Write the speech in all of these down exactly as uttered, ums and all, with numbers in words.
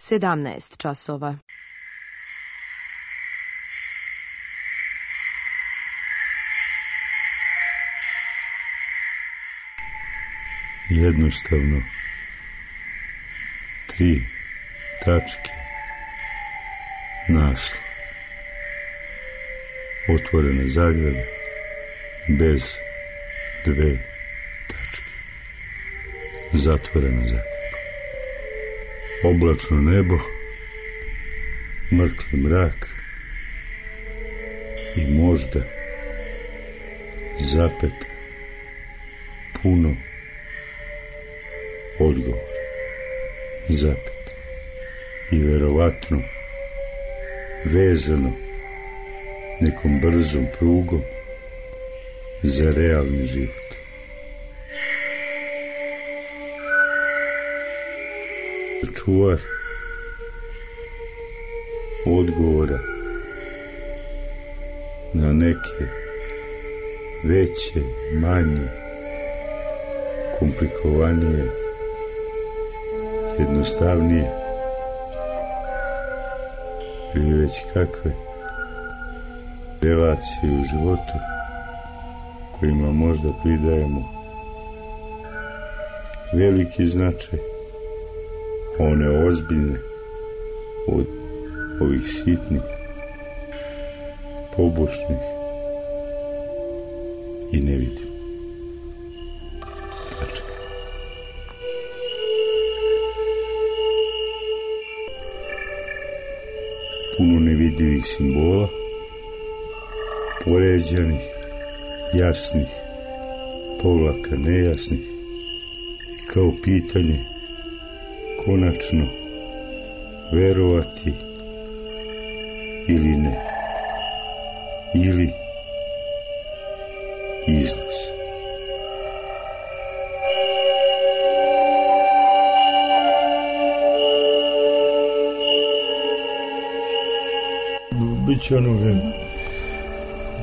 sedamnaest časova. Jednostavno, tri tačke, naslov, otvorena zagrada, bez dve tačke, zatvorena zagrada. Oblačno nebo, mrkli mrak i možda zapeta puno odgovor, zapeta i verovatno vezano nekom brzom prugom za realni život. Čuvar odgovora na neke veće, manje, komplikovanije, jednostavnije ili već kakve relacije u životu kojima možda pridajemo veliki značaj, one ozbiljne od ovih sitnih, pobočnih i ne vidim. Tačka. Puno nevidljivih simbola, poređanih, jasnih, povlaka nejasnih i kao pitanje konačno verovati ili ne, ili iznos. Biće ono vreme.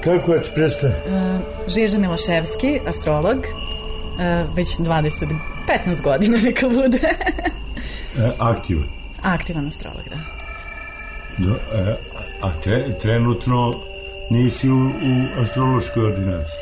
Kako je ti predstav? Uh, Žiža Miloševski, astrolog, uh, već dvadeset, petnaest godina neka bude. e, aktivan? Aktivan astrolog, da. Do, e, a tre, trenutno nisi u, u astrološkoj ordinaciji?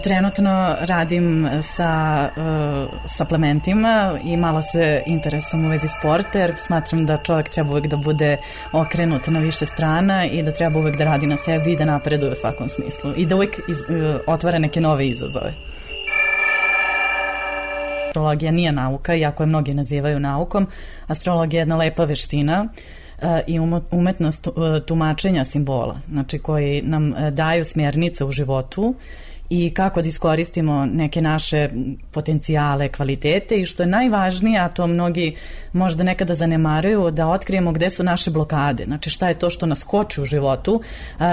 Trenutno radim sa uh, suplementima i malo se interesujem u vezi sporta, jer smatram da čovjek treba uvek da bude okrenut na više strana i da treba uvek da radi na sebi i da napreduje u svakom smislu i da uvek iz, uh, otvara neke nove izazove. Astrologija nije nauka, iako je mnogi nazivaju naukom. Astrologija je jedna lepa veština i umetnost tumačenja simbola, znači koji nam daju smjernice u životu i kako da iskoristimo neke naše potencijale, kvalitete i što je najvažnije, a to mnogi možda nekada zanemaruju, da otkrijemo gde su naše blokade, znači šta je to što nas koči u životu.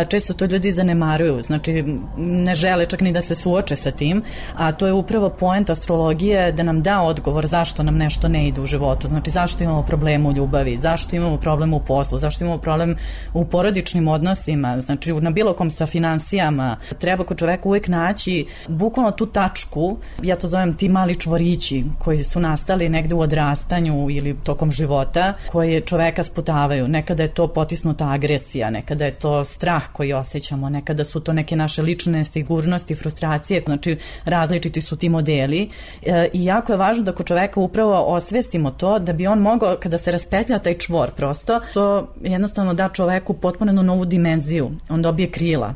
Često to ljudi zanemaruju, znači ne žele čak ni da se suoče sa tim, a to je upravo poenta astrologije, da nam da odgovor zašto nam nešto ne ide u životu, znači zašto imamo problem u ljubavi, zašto imamo problem u poslu, zašto imamo problem u porodičnim odnosima, znači na bilo kom sa finansijama. Treba kod čoveka uvek naći bukvalno tu tačku, ja to zovem ti mali čvorići koji su nastali negde u odrastanju ili tokom života, koje čoveka sputavaju. Nekada je to potisnuta agresija, nekada je to strah koji osjećamo, nekada su to neke naše lične sigurnosti, frustracije, znači različiti su ti modeli e, i jako je važno da kod čoveka upravo osvestimo to, da bi on mogao, kada se raspetlja taj čvor prosto, to jednostavno da čoveku potpuno novu dimenziju, on dobije krila.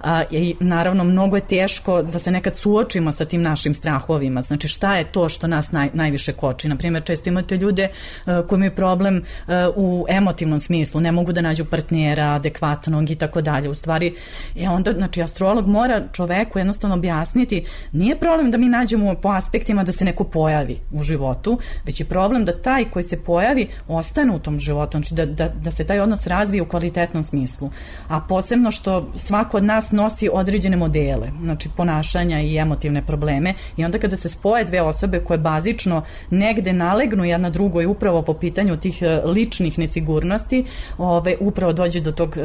A, i naravno mnogo je teško da se nekad suočimo sa tim našim strahovima, znači šta je to što nas naj, najviše koči. Naprimjer, često imate ljude uh, koji imaju problem uh, u emotivnom smislu, ne mogu da nađu partnera adekvatnog i tako dalje. U stvari, je onda, znači astrolog mora čoveku jednostavno objasniti, nije problem da mi nađemo po aspektima da se neko pojavi u životu, već je problem da taj koji se pojavi ostane u tom životu, znači da, da, da se taj odnos razvije u kvalitetnom smislu. A posebno što svako od nas nosi određene modele, znači ponašanja i emotivne probleme, i onda kada se spoje dve osobe koje bazično negde nalegnu jedna drugoj upravo po pitanju tih ličnih nesigurnosti, ove, upravo dođe do tog e,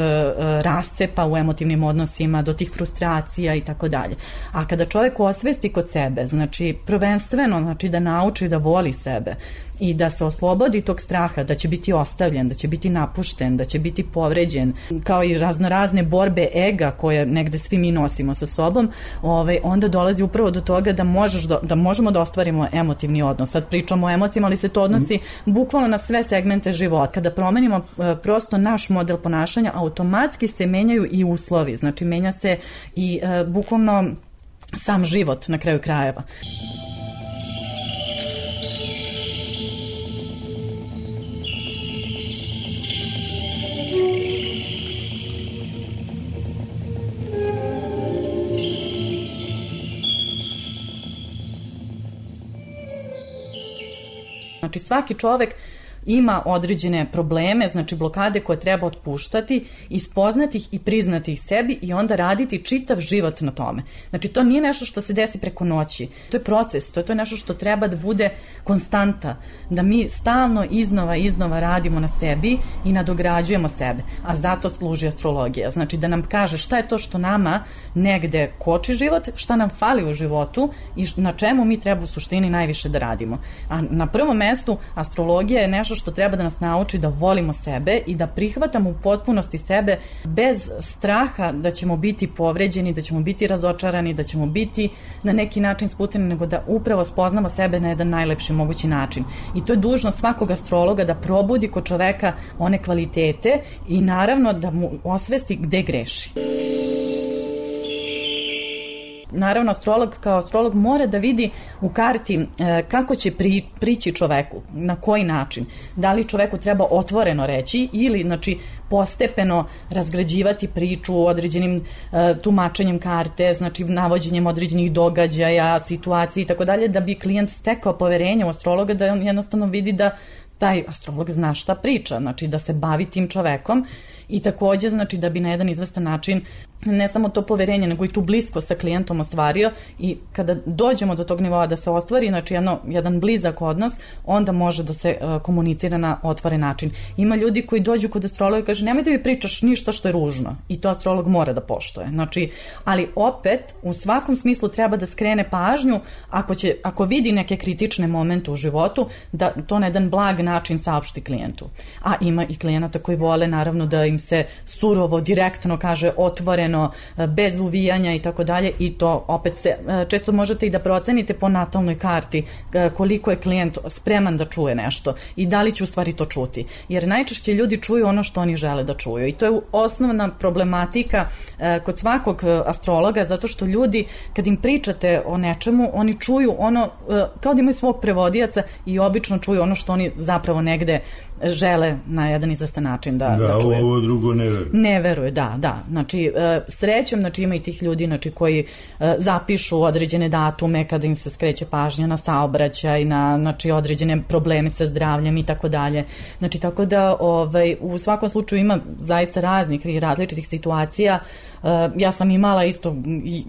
rascepa u emotivnim odnosima, do tih frustracija i tako dalje. A kada čovjek osvesti kod sebe, znači prvenstveno znači da nauči da voli sebe i da se oslobodi tog straha da će biti ostavljen, da će biti napušten, da će biti povređen, kao i raznorazne borbe ega koje negde svi mi nosimo sa sobom, ovaj, onda dolazi upravo do toga da, možeš do, da možemo da ostvarimo emotivni odnos. Sad pričamo o emocijama, ali se to odnosi mm. bukvalno na sve segmente života. Kada promenimo uh, prosto naš model ponašanja, automatski se menjaju i uslovi, znači menja se i uh, bukvalno sam život na kraju krajeva. Znači svaki čovek ima određene probleme, znači blokade koje treba otpuštati, ispoznati ih i priznati ih sebi i onda raditi čitav život na tome. Znači to nije nešto što se desi preko noći, to je proces, to je to nešto što treba da bude konstanta, da mi stalno iznova iznova radimo na sebi i nadograđujemo sebe, a zato služi astrologija, znači da nam kaže šta je to što nama negde koči život, šta nam fali u životu i na čemu mi treba u suštini najviše da radimo. A na prvom mestu astrologija je nešto što treba da nas nauči da volimo sebe i da prihvatamo u potpunosti sebe bez straha da ćemo biti povređeni, da ćemo biti razočarani, da ćemo biti na neki način sputeni, nego da upravo spoznamo sebe na jedan najlepši mogući način. I to je dužnost svakog astrologa da probudi kod čoveka one kvalitete i naravno da mu osvesti gde greši. Naravno, astrolog kao astrolog mora da vidi u karti e, kako će pri, prići čoveku, na koji način. Da li čoveku treba otvoreno reći ili, znači, postepeno razgrađivati priču određenim e, tumačenjem karte, znači navođenjem određenih događaja, situacija i tako dalje, da bi klijent stekao poverenje u astrologa, da on jednostavno vidi da taj astrolog zna šta priča, znači da se bavi tim čovekom i takođe, znači, da bi na jedan izvestan način ne samo to poverenje, nego i tu blisko sa klijentom ostvario i kada dođemo do tog nivoa da se ostvari, znači jedno, jedan blizak odnos, onda može da se uh, komunicira na otvoren način. Ima ljudi koji dođu kod astrologa i kaže nemoj da mi pričaš ništa što je ružno i to astrolog mora da poštuje. Znači, ali opet u svakom smislu treba da skrene pažnju ako, će, ako vidi neke kritične momente u životu, da to na jedan blag način saopšti klijentu. A ima i klijenata koji vole naravno da im se surovo, direktno kaže otvoreno, bez uvijanja i tako dalje i to opet se, često možete i da procenite po natalnoj karti koliko je klijent spreman da čuje nešto i da li će u stvari to čuti. Jer najčešće ljudi čuju ono što oni žele da čuju i to je osnovna problematika kod svakog astrologa, zato što ljudi kad im pričate o nečemu, oni čuju ono, kao da imaju svog prevodioca i obično čuju ono što oni zapravo negde žele na jedan izvestan način da, da, da čuje. Da, ovo drugo ne veruje. Ne veruje, da, da. Znači, srećom, znači ima i tih ljudi znači, koji zapišu određene datume kada im se skreće pažnja na saobraćaj, na znači, određene probleme sa zdravljem i tako dalje. Znači, tako da ovaj, u svakom slučaju ima zaista raznih i različitih situacija. Ja sam imala isto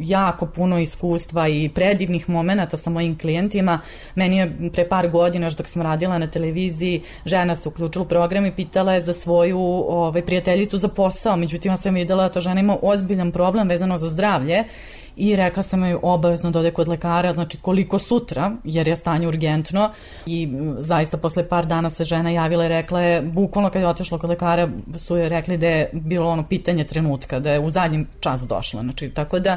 jako puno iskustva i predivnih momenata sa mojim klijentima. Meni je pre par godina, još dok sam radila na televiziji, žena se uključila u program i pitala je za svoju ovaj, prijateljicu za posao. Međutim, ja sam videla da ta žena ima ozbiljan problem vezano za zdravlje i rekla sam joj obavezno da ode kod lekara, znači koliko sutra, jer je stanje urgentno i zaista posle par dana se žena javila i rekla je, bukvalno kad je otišla kod lekara su joj rekli da je bilo ono pitanje trenutka, da je u zadnjem čas došla, znači tako da...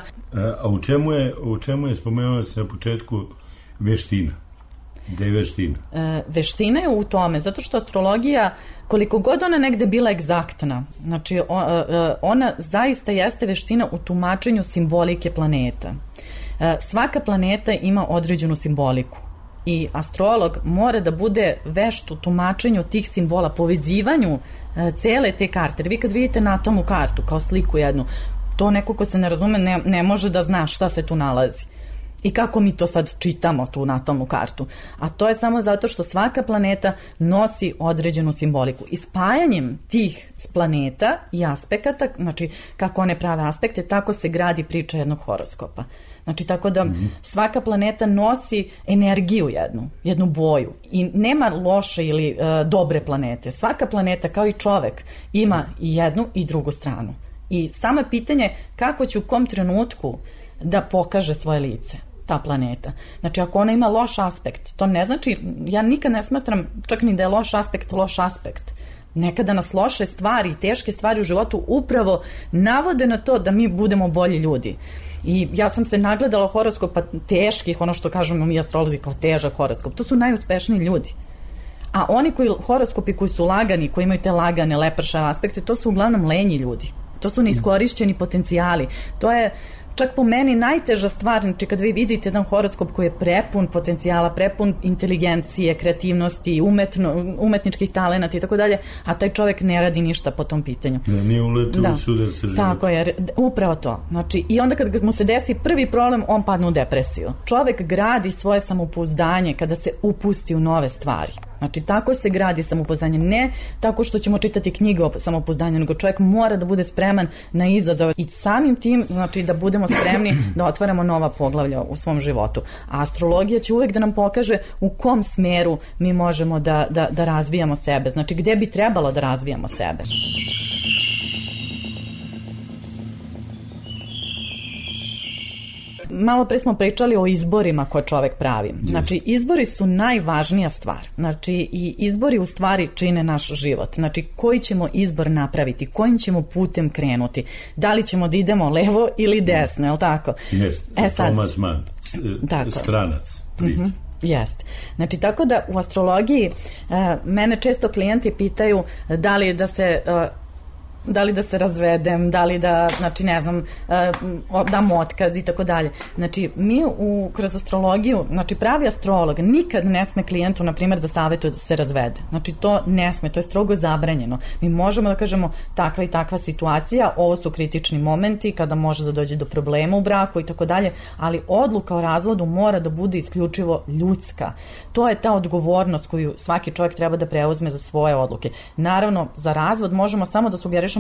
A u čemu je, u čemu je spomenula se na početku veština? Gde je veština? E, veština je u tome, zato što astrologija, koliko god ona negde bila egzaktna, znači ona zaista jeste veština u tumačenju simbolike planeta. E, svaka planeta ima određenu simboliku i astrolog mora da bude vešt u tumačenju tih simbola, povezivanju e, cele te karte. Jer vi kad vidite natalnu kartu kao sliku jednu, to neko ko se ne razume ne, ne može da zna šta se tu nalazi. I kako mi to sad čitamo, tu natalnu kartu. A to je samo zato što svaka planeta nosi određenu simboliku. I spajanjem tih planeta i aspekata, znači kako one prave aspekte, tako se gradi priča jednog horoskopa. Znači tako da svaka planeta nosi energiju jednu, jednu boju. I nema loše ili e, dobre planete. Svaka planeta, kao i čovek, ima i jednu i drugu stranu. I samo je pitanje kako će u kom trenutku da pokaže svoje lice. ta planeta. Znači, ako ona ima loš aspekt, to ne znači, ja nikad ne smatram čak ni da je loš aspekt, loš aspekt. Nekada nas loše stvari i teške stvari u životu upravo navode na to da mi budemo bolji ljudi. I ja sam se nagledala horoskopa teških, ono što kažemo mi astrolozi kao težak horoskop, to su najuspešniji ljudi. A oni koji, horoskopi koji su lagani, koji imaju te lagane, lepršave aspekte, to su uglavnom lenji ljudi. To su neiskorišćeni potencijali. To je čak po meni najteža stvar, znači kad vi vidite jedan horoskop koji je prepun potencijala, prepun inteligencije, kreativnosti, umetno, umetničkih talenata i tako dalje, a taj čovjek ne radi ništa po tom pitanju. Da, nije uletio da. u sudar sa život. Tako je, upravo to. Znači, i onda kad mu se desi prvi problem, on padne u depresiju. Čovjek gradi svoje samopouzdanje kada se upusti u nove stvari. Znači, tako se gradi samopouzdanje, ne tako što ćemo čitati knjige o samopouzdanju, nego čovjek mora da bude spreman na izazove i samim tim, znači, da budemo spremni da otvaramo nova poglavlja u svom životu. A astrologija će uvek da nam pokaže u kom smeru mi možemo da, da, da razvijamo sebe, znači gde bi trebalo da razvijamo sebe. Malo pre smo pričali o izborima koje čovek pravi. Znači, izbori su najvažnija stvar. Znači, i izbori u stvari čine naš život. Znači, koji ćemo izbor napraviti, kojim ćemo putem krenuti. Da li ćemo da idemo levo ili desno, je li tako? Jeste, e, Thomas Mann, stranac, priča. Uh-huh. Jeste. Znači, tako da u astrologiji uh, mene često klijenti pitaju da li da se... Uh, da li da se razvedem, da li da, znači ne znam, dam otkaz i tako dalje. Znači, mi u, kroz astrologiju, znači pravi astrolog nikad ne sme klijentu, na primjer, da savjetuje da se razvede. Znači, to ne sme, to je strogo zabranjeno. Mi možemo da kažemo takva i takva situacija, ovo su kritični momenti kada može da dođe do problema u braku i tako dalje, ali odluka o razvodu mora da bude isključivo ljudska. To je ta odgovornost koju svaki čovjek treba da preuzme za svoje odluke. Naravno, za razvod možemo samo da sugerišemo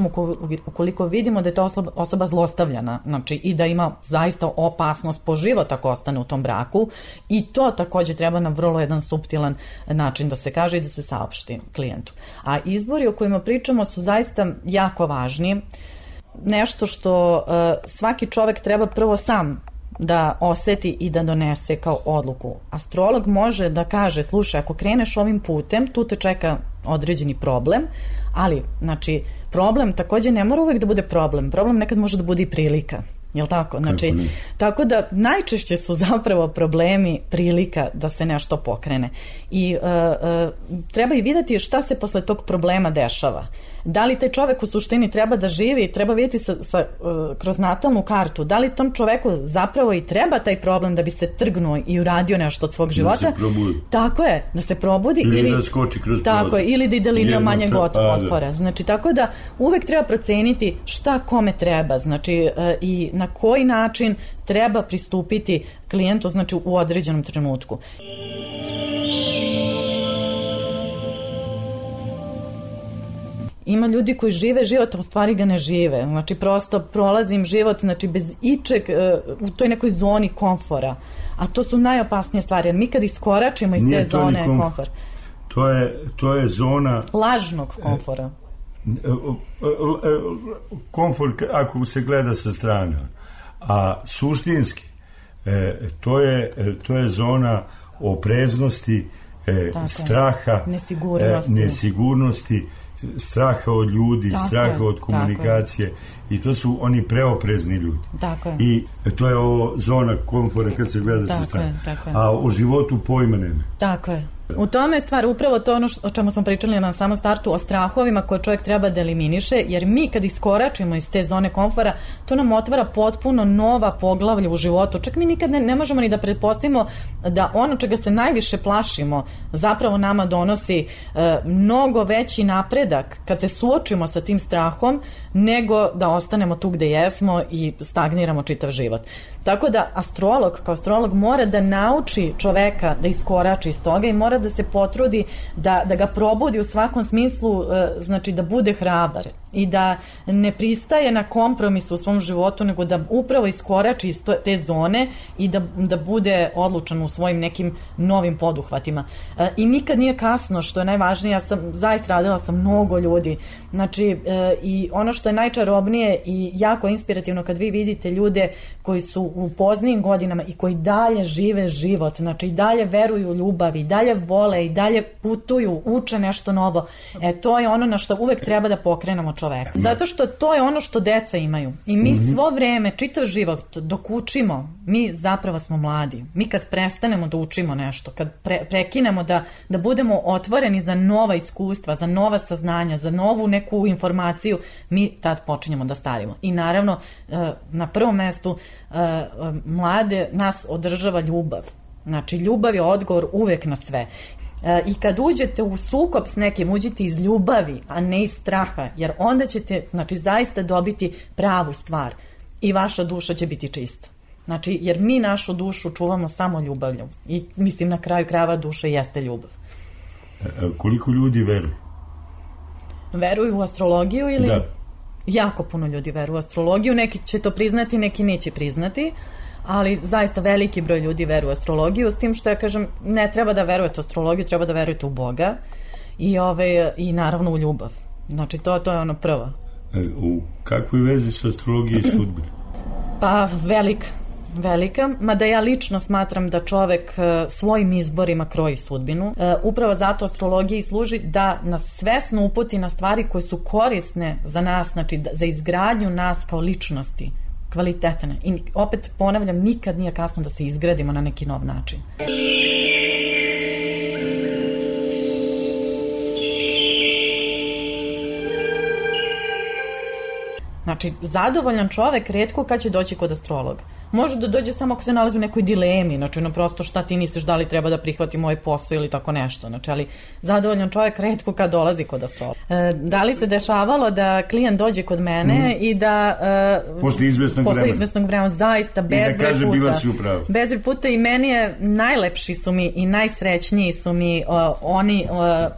ukoliko vidimo da je ta osoba zlostavljana, znači i da ima zaista opasnost po život ako ostane u tom braku, i to također treba na vrlo jedan suptilan način da se kaže i da se saopšti klijentu. A izbori o kojima pričamo su zaista jako važni, nešto što uh, svaki čovek treba prvo sam da oseti i da donese kao odluku. Astrolog može da kaže, slušaj, ako kreneš ovim putem, tu te čeka određeni problem, ali, znači, problem također ne mora uvek da bude problem. Problem nekad može da bude i prilika. Jel tako? Znači, tako da najčešće su zapravo problemi prilika da se nešto pokrene. I uh, uh, treba i vidjeti šta se posle tog problema dešava. Da li taj čovek u suštini treba da živi, treba vidjeti sa, sa, uh, kroz natalnu kartu, da li tom čoveku zapravo i treba taj problem da bi se trgnuo i uradio nešto od svog života. Da se probudi. Tako je, da se probudi. Ili, ili da skoči kroz tako je, ili da ide linijom manjeg otpora. Znači, tako da uvek treba proceniti šta kome treba, znači, uh, i na koji način treba pristupiti klijentu, znači, u određenom trenutku. Ima ljudi koji žive život, a u stvari ga ne žive. Znači, prosto prolazim život, znači, bez ičeg, u toj nekoj zoni komfora. A to su najopasnije stvari, jer mi kad iskoračimo iz Nije te zone komf... komfora. To je, to je zona... lažnog komfora. Komfort, ako se gleda sa strane. A suštinski, to je, to je zona opreznosti, straha, nesigurnosti, nesigurnosti straha od ljudi, tako straha je, od komunikacije, i to su oni preoprezni ljudi. Tako je. I to je ovo zona komfora kad se gleda sa strane. A o životu pojma nema. Tako je. U tome je stvar upravo to ono o čemu smo pričali na samom startu, o strahovima koje čovjek treba da eliminiše, jer mi kad iskoračimo iz te zone komfora, to nam otvara potpuno nova poglavlja u životu. Čak mi nikad ne, ne možemo ni da pretpostavimo da ono čega se najviše plašimo zapravo nama donosi e, mnogo veći napredak kad se suočimo sa tim strahom, nego da ostanemo tu gde jesmo i stagniramo čitav život. Tako da astrolog kao astrolog mora da nauči čoveka da iskorači iz toga i mora da se potrudi da, da ga probudi u svakom smislu, znači da bude hrabar. i da ne pristaje na kompromis u svom životu, nego da upravo iskorači iz te zone i da, da bude odlučan u svojim nekim novim poduhvatima. E, I nikad nije kasno, što je najvažnije. Ja sam zaista radila sa mnogo ljudi. Znači, e, i ono što je najčarobnije i jako inspirativno kad vi vidite ljude koji su u poznijim godinama i koji dalje žive život, znači i dalje veruju u ljubav, i dalje vole, i dalje putuju, uče nešto novo. E, to je ono na što uvek treba da pokrenemo čoveka. Zato što to je ono što deca imaju. I mi svo vreme, čitav život, dok učimo, mi zapravo smo mladi. Mi kad prestanemo da učimo nešto, kad pre, prekinemo da, da budemo otvoreni za nova iskustva, za nova saznanja, za novu neku informaciju, mi tad počinjemo da starimo. I naravno, na prvom mestu, mlade nas održava ljubav. Znači, ljubav je odgovor uvek na sve. I kad uđete u sukob s nekim, uđite iz ljubavi, a ne iz straha, jer onda ćete, znači, zaista dobiti pravu stvar i vaša duša će biti čista. Znači, jer mi našu dušu čuvamo samo ljubavlju i mislim na kraju krajeva duša jeste ljubav. A koliko ljudi veruje? Veruju u astrologiju ili? Da. Jako puno ljudi veruje u astrologiju, neki će to priznati, neki neće priznati, ali zaista veliki broj ljudi veruje u astrologiju, s tim što ja kažem, ne treba da verujete u astrologiju, treba da verujete u Boga i, ove, i naravno u ljubav. Znači, to, to je ono prvo. U kakvoj vezi su astrologija i sudbina? Pa, velika. Velika, mada ja lično smatram da čovek svojim izborima kroji sudbinu. Upravo zato astrologija i služi da nas svesno uputi na stvari koje su korisne za nas, znači za izgradnju nas kao ličnosti, kvalitetne. I opet ponavljam, nikad nije kasno da se izgradimo na neki nov način. Znači, zadovoljan čovek retko kad će doći kod astrologa. Može da dođe samo ako se nalazi u nekoj dilemi, znači ono prosto šta ti misliš, da li treba da prihvati moj posao ili tako nešto, znači, ali zadovoljan čovjek retko kad dolazi kod astrologa. E, da li se dešavalo da klijent dođe kod mene mm. i da e, posle izvesnog posle vremena, izvesnog vremena zaista bezbroj puta, bila si upravo. bezbroj puta i meni je najlepši su mi i najsrećniji su mi o, oni o,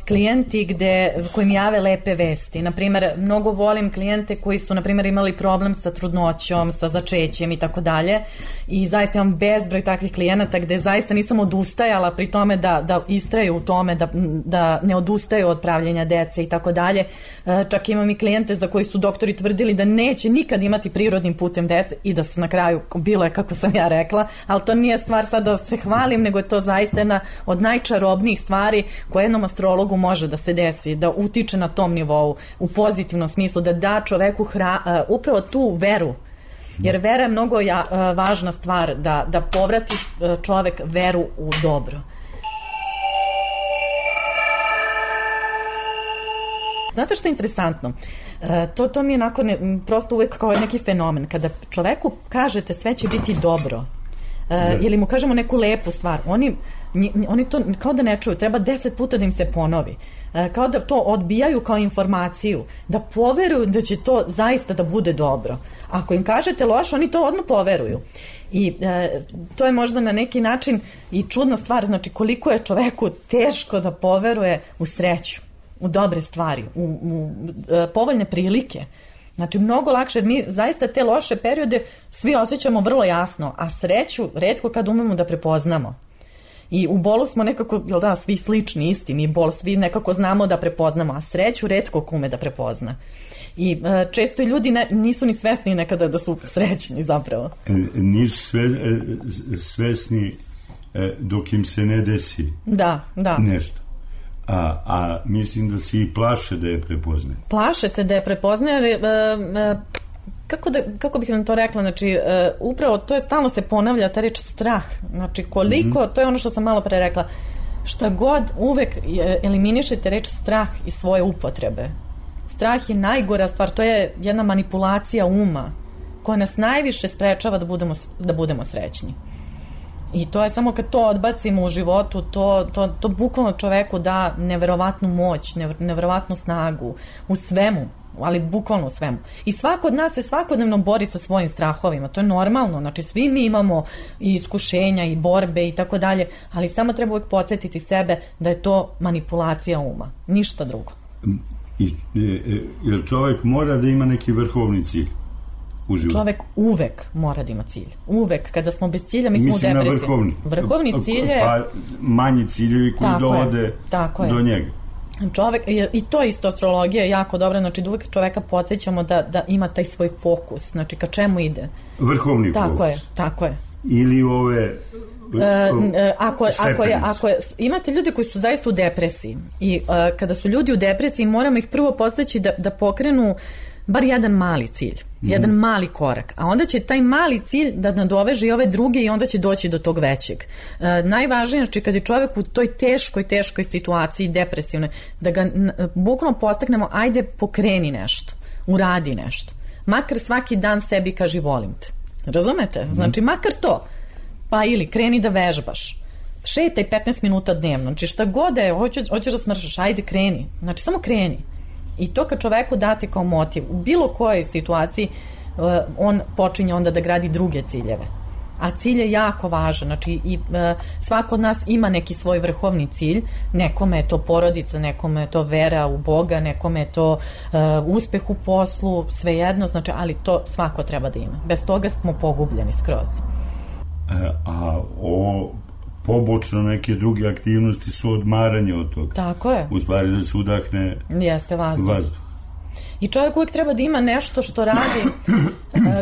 klijenti gde, koji mi jave lepe vesti. Naprimer, mnogo volim klijente koji su, naprimer, imali problem sa trudnoćom, sa začećem i tako dalje. I zaista imam bezbroj takvih klijenata gde zaista nisam odustajala pri tome da, da istraju u tome, da, da ne odustaju od pravljenja dece i tako dalje. Čak imam i klijente za koji su doktori tvrdili da neće nikad imati prirodnim putem dece i da su na kraju, bilo je kako sam ja rekla, ali to nije stvar sad da se hvalim, nego je to zaista jedna od najčarobnijih stvari koje jednom astrologu može da se desi, da utiče na tom nivou, u pozitivnom smislu, da da čoveku hra, uh, upravo tu veru. Jer vera je mnogo ja, uh, važna stvar, da, da povrati uh, čovek veru u dobro. Znate što je interesantno? Uh, to, to mi je onako ne, prosto uvek kao neki fenomen. Kada čoveku kažete sve će biti dobro, uh, ili mu kažemo neku lepu stvar, oni oni to kao da ne čuju, treba deset puta da im se ponovi, kao da to odbijaju kao informaciju, da poveruju da će to zaista da bude dobro. Ako im kažete loše, oni to odmah poveruju. I e, to je možda na neki način i čudna stvar, znači koliko je čoveku teško da poveruje u sreću, u dobre stvari, u, u e, povoljne prilike. Znači, mnogo lakše, jer mi zaista te loše periode svi osjećamo vrlo jasno, a sreću retko kad umemo da prepoznamo. I u bolu smo nekako, jel da, svi slični, isti, mi bol svi nekako znamo da prepoznamo, a sreću retko ko ume da prepozna. I e, često i ljudi ne, nisu ni svesni nekada da su srećni zapravo. E, nisu sve, e, svesni e, dok im se ne desi da, da. nešto. A, a mislim da se i plaše da je prepoznaje. Plaše se da je prepoznaje, jer... E, e, Kako, da, kako bih vam to rekla, znači uh, upravo to je stalno se ponavlja ta reč strah, znači koliko, mm-hmm. to je ono što sam malo pre rekla, šta god uvek eliminišete reč strah iz svoje upotrebe. Strah je najgora stvar, to je jedna manipulacija uma koja nas najviše sprečava da budemo, da budemo srećni. I to je samo kad to odbacimo u životu, to, to, to bukvalno čoveku da neverovatnu moć, neverovatnu snagu u svemu, ali bukvalno u svemu. I svako od nas se svakodnevno bori sa svojim strahovima, to je normalno, znači svi mi imamo i iskušenja i borbe i tako dalje, ali samo treba uvijek podsjetiti sebe da je to manipulacija uma, ništa drugo. I, jer čovek mora da ima neki vrhovni cilj u životu. Čovek uvek mora da ima cilj. Uvek. Kada smo bez cilja, mi smo Mislim u depresiji. Mislim na vrhovni. Vrhovni cilj je... Pa manji ciljevi koji dovode do je. njega. Čovek, i to isto astrologija je jako dobra, znači da uvek čoveka podsjećamo da, da ima taj svoj fokus, znači ka čemu ide. Vrhovni tako fokus. Tako je, tako je. Ili ove... E, ako, ako, je, ako je, imate ljudi koji su zaista u depresiji i uh, kada su ljudi u depresiji moramo ih prvo podsjeći da, da pokrenu bar jedan mali cilj, mm. jedan mali korak, a onda će taj mali cilj da nadoveže i ove druge i onda će doći do tog većeg. Uh, najvažnije, znači kad je čovjek u toj teškoj, teškoj situaciji, depresivnoj, da ga bukvalno postaknemo, ajde pokreni nešto, uradi nešto. Makar svaki dan sebi kaži volim te. Razumete? Znači makar to. Pa ili kreni da vežbaš, šetaj petnaest minuta dnevno, znači šta god je, hoćeš, hoćeš da smršaš, ajde kreni, znači samo kreni. I to kad čoveku date kao motiv, u bilo kojoj situaciji, uh, on počinje onda da gradi druge ciljeve. A cilj je jako važan, znači i, uh, svako od nas ima neki svoj vrhovni cilj, nekome je to porodica, nekome je to vera u Boga, nekome je to uh, uspeh u poslu, svejedno, znači, ali to svako treba da ima. Bez toga smo pogubljeni skroz. A o pobočno neke druge aktivnosti su odmaranje od toga. Tako je. U stvari da se udahne Jeste vazduh. vazduh. I čovjek uvijek treba da ima nešto što radi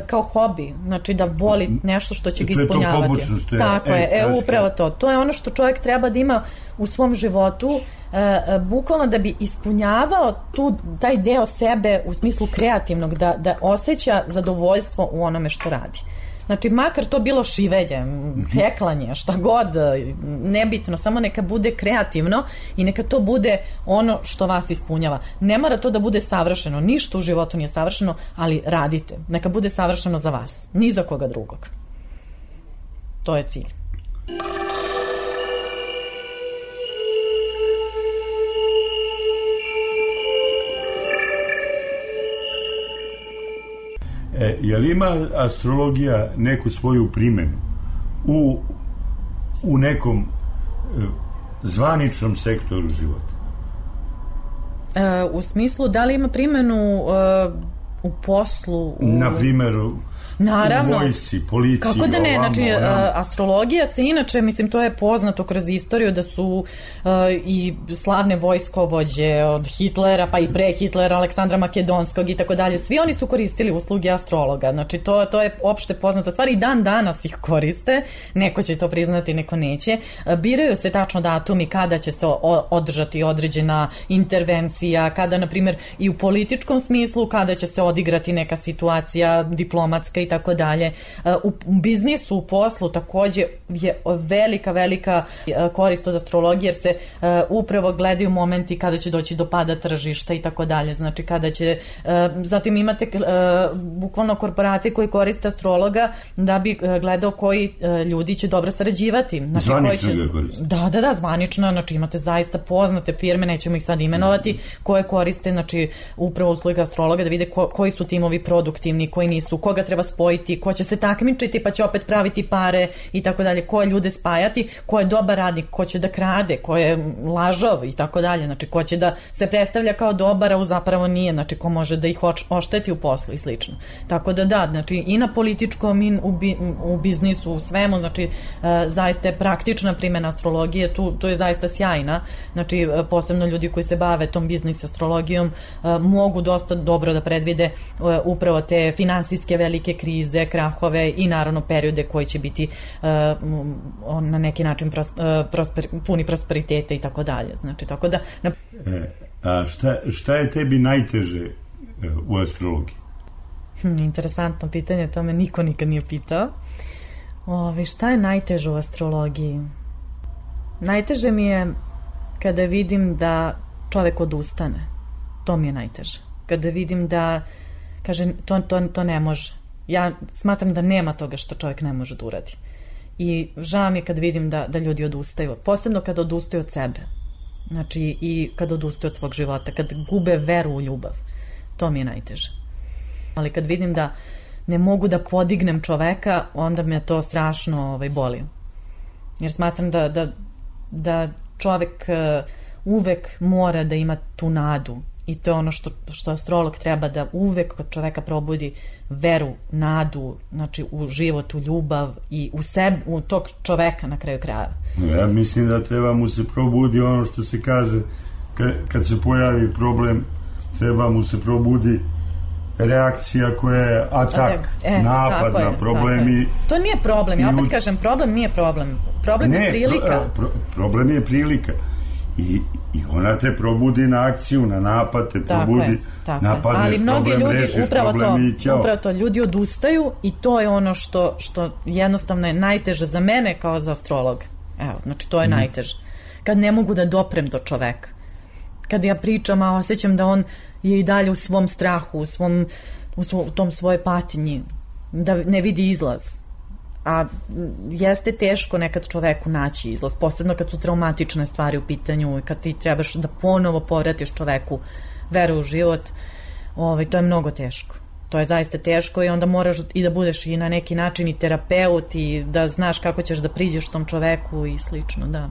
kao hobi, znači da voli nešto što će ga ispunjavati. To je to pobočno što je. Tako je, e, upravo to. To je ono što čovjek treba da ima u svom životu, e, bukvalno da bi ispunjavao tu, taj deo sebe u smislu kreativnog, da, da osjeća zadovoljstvo u onome što radi. Znači, makar to bilo šivelje, heklanje, šta god, nebitno, samo neka bude kreativno i neka to bude ono što vas ispunjava. Ne mora to da bude savršeno, ništa u životu nije savršeno, ali radite. Neka bude savršeno za vas, ni za koga drugog. To je cilj. E, je li ima astrologija neku svoju primjenu u, u nekom e, zvaničnom sektoru života? E, u smislu, da li ima primjenu e, u poslu? U... Na primjer, Naravno. U vojsci, policiji, kako da ne, ovamo, znači ovamo. Astrologija se inače, mislim, to je poznato kroz istoriju da su uh, i slavne vojskovođe od Hitlera pa i pre Hitlera, Aleksandra Makedonskog i tako dalje, svi oni su koristili usluge astrologa, znači to, to je opšte poznata stvar i dan danas ih koriste, neko će to priznati, neko neće. Biraju se tačno datumi kada će se održati određena intervencija, kada, na primjer, i u političkom smislu, kada će se odigrati neka situacija diplomatska i tako dalje. U biznisu, u poslu takođe je velika, velika korist od astrologije, jer se upravo gledaju momenti kada će doći do pada tržišta i tako dalje. Znači kada će, zatim imate bukvalno korporacije koji koriste astrologa da bi gledao koji ljudi će dobro sarađivati. Znači, zvanično će... ga koriste. Da, da, da, zvanično, znači imate zaista poznate firme, nećemo ih sad imenovati, koje koriste, znači upravo usluge astrologa da vide ko, koji su timovi produktivni, koji nisu, koga treba spojiti, ko će se takmičiti pa će opet praviti pare i tako dalje, ko je ljude spajati, ko je dobar radnik, ko će da krade, ko je lažov i tako dalje, znači ko će da se predstavlja kao dobar, a u zapravo nije, znači ko može da ih ošteti u poslu i slično. Tako da da, znači i na političkom i u, bi, u biznisu, u svemu, znači e, zaista je praktična primjena astrologije, tu, tu je zaista sjajna, znači e, posebno ljudi koji se bave tom biznis astrologijom e, mogu dosta dobro da predvide e, upravo te finansijske velike krize, krahove i naravno periode koji će biti uh, na neki način pros, uh, prosper, puni prosperitete i tako dalje. Znači, tako da... Na... E, a šta, šta je tebi najteže u astrologiji? Hm, interesantno pitanje, to me niko nikad nije pitao. Ove, šta je najteže u astrologiji? Najteže mi je kada vidim da čovek odustane. To mi je najteže. Kada vidim da kaže, to, to, to ne može. Ja smatram da nema toga što čovjek ne može da uradi. I žao mi je kad vidim da, da ljudi odustaju. Posebno kada odustaju od sebe. Znači, i kada odustaju od svog života. Kad gube veru u ljubav. To mi je najteže. Ali kad vidim da ne mogu da podignem čoveka, onda me to strašno ovaj, boli. Jer smatram da, da, da čovek uh, uvek mora da ima tu nadu i to je ono što, što astrolog treba da uvek kod čoveka probudi veru, nadu, znači u život, u ljubav i u sebe, u tog čoveka na kraju kraja. Ja mislim da treba mu se probudi ono što se kaže kad, kad se pojavi problem, treba mu se probudi reakcija koja je atak, e, napad na problem. I, to nije problem, ja opet u... kažem, problem nije problem. Problem ne, je prilika. Pro, pro, problem je prilika. I, I ona te probudi na akciju, na napad, te tako probudi, je, napadneš, ali mnogi problem, ljudi, rešiš upravo problem to, upravo to, ljudi odustaju i to je ono što, što jednostavno je najteže za mene kao za astrologa. Evo, znači to je mm. najteže. Kad ne mogu da doprem do čoveka. Kad ja pričam, a osjećam da on je i dalje u svom strahu, u, svom, u, svo, u tom svoje patinji, da ne vidi izlaz. A jeste teško nekad čoveku naći izlaz, posebno kad su traumatične stvari u pitanju i kad ti trebaš da ponovo povratiš čoveku veru u život, ovaj, to je mnogo teško. To je zaista teško i onda moraš i da budeš i na neki način i terapeut i da znaš kako ćeš da priđeš tom čoveku i slično, da.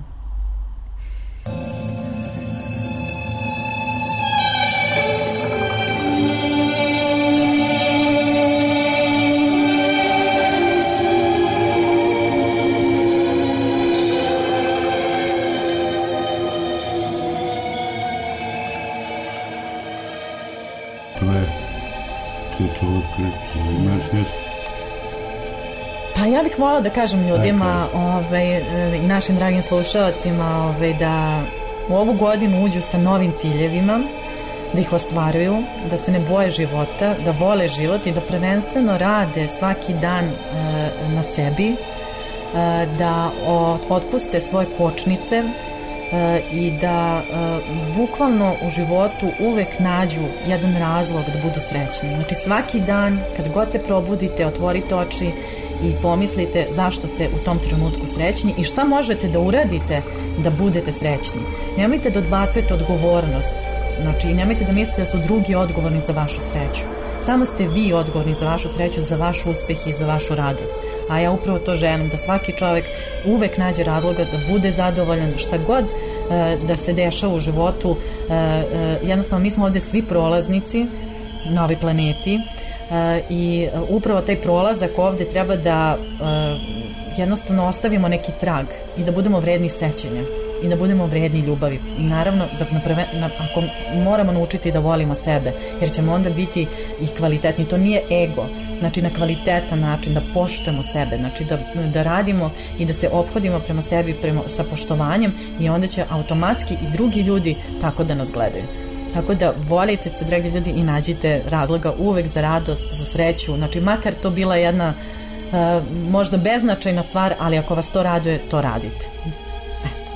Pa ja bih voljela da kažem ljudima ovaj, i našim dragim slušalcima ovaj, da u ovu godinu uđu sa novim ciljevima, da ih ostvaruju, da se ne boje života, da vole život i da prvenstveno rade svaki dan e, na sebi, e, da otpuste svoje kočnice e, i da e, bukvalno u životu uvek nađu jedan razlog da budu srećni. Znači svaki dan kad god se probudite, otvorite oči i pomislite zašto ste u tom trenutku srećni i šta možete da uradite da budete srećni. Nemojte da odbacujete odgovornost, znači nemojte da mislite da su drugi odgovorni za vašu sreću. Samo ste vi odgovorni za vašu sreću, za vaš uspeh i za vašu radost. A ja upravo to želim, da svaki čovjek uvek nađe razloga da bude zadovoljan šta god e, da se dešava u životu. E, e, jednostavno mi smo ovdje svi prolaznici na ovoj planeti. Uh, i uh, upravo taj prolazak ovde treba da uh, jednostavno ostavimo neki trag i da budemo vredni sećanja i da budemo vredni ljubavi i naravno da naprave, na, ako moramo naučiti da volimo sebe jer ćemo onda biti i kvalitetni, to nije ego, znači na kvalitetan način da poštujemo sebe, znači da, da radimo i da se ophodimo prema sebi prema, sa poštovanjem i onda će automatski i drugi ljudi tako da nas gledaju. Tako da volite se, dragi ljudi, i nađite razloga uvek za radost, za sreću. Znači, makar to bila jedna uh, možda beznačajna stvar, ali ako vas to raduje, to radite. Eto.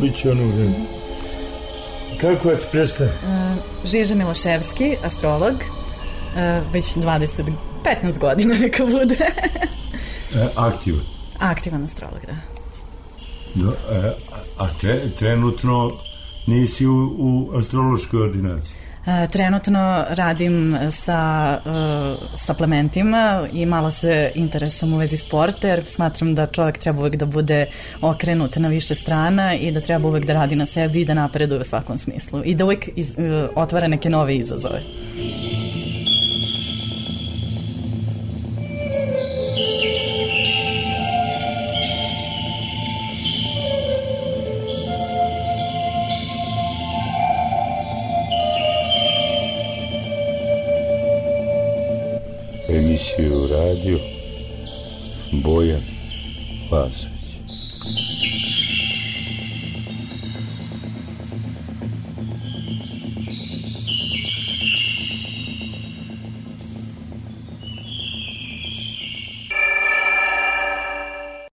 Biće ono vreme. Kako je ti predstavlja? Uh, Žiža Miloševski, astrolog, uh, već dvadeset, petnaest godina neka bude. e, aktivan? Aktivan astrolog, da. Do, e, a tre, trenutno nisi u, u astrološkoj ordinaciji? Uh, trenutno radim sa uh, suplementima i malo se interesam u vezi sporta jer smatram da čovjek treba uvek da bude okrenut na više strana i da treba uvek da radi na sebi i da napreduje u svakom smislu i da uvek iz, uh, otvara neke nove izazove. Emisiju radio Bojan Lazović.